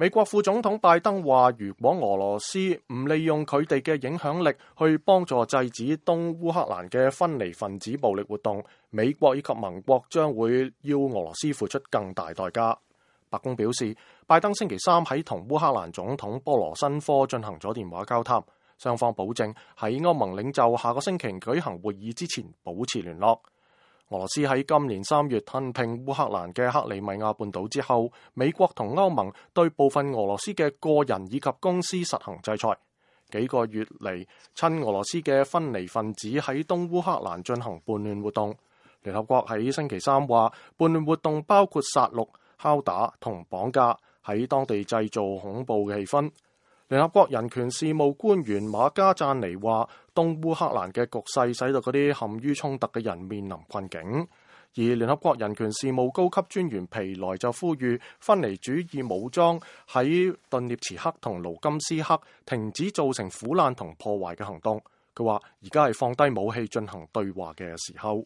美國副總統拜登話，如果俄羅斯唔利用佢哋嘅影響力去幫助制止東烏克蘭嘅分離分子暴力活動，美國以及盟國將會要俄羅斯付出更大代價。白宮表示，拜登星期三喺同烏克蘭總統波羅申科進行咗電話交談，雙方保證喺歐盟領袖下個星期舉行會議之前保持聯絡。俄羅斯喺今年3月吞併烏克蘭嘅克里米亞半島之後，美國同歐盟對部分俄羅斯嘅個人以及公司實行制裁。幾個月嚟，親俄羅斯嘅分離分子喺東烏克蘭進行叛亂活動。聯合國喺星期三話，叛亂活動包括殺戮、敲打同綁架，喺當地製造恐怖嘅氣氛。聯合國人權事務官員馬加贊尼話，東烏克蘭嘅局勢使到嗰啲陷於衝突嘅人面臨困境。而聯合國人權事務高級專員皮萊就呼籲分離主義武裝喺頓涅茨克同盧甘斯克停止造成苦難同破壞嘅行動。佢話而家係放低武器進行對話嘅時候。